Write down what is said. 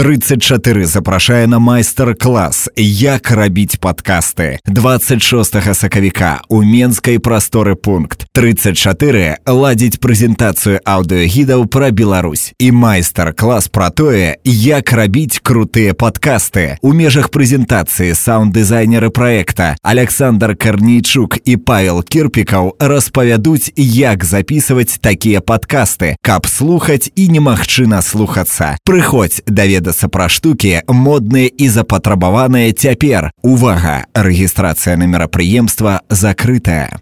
34 запрашае на майстар-клас «Як рабіць падкасты». 26 сакавіка у Менскай прасторы пункт. 34 ладзіць прэзентацыю аўдыёгідаў пра Беларусь і майстар-клас пра тое, як рабіць крутыя падкасты. У межах прэзентацыі саунд-дызайнеры праекта Александр Карнейчук і Павел Кірпікаў распавядуць, як запісваць такія падкасты, каб слухаць і немагчы наслухацца. Прыходзь даведацца пра штукі, модныя і запатрабаваныя цяпер. Увага! Рэгістрацыя на мерапрыемства закрытая.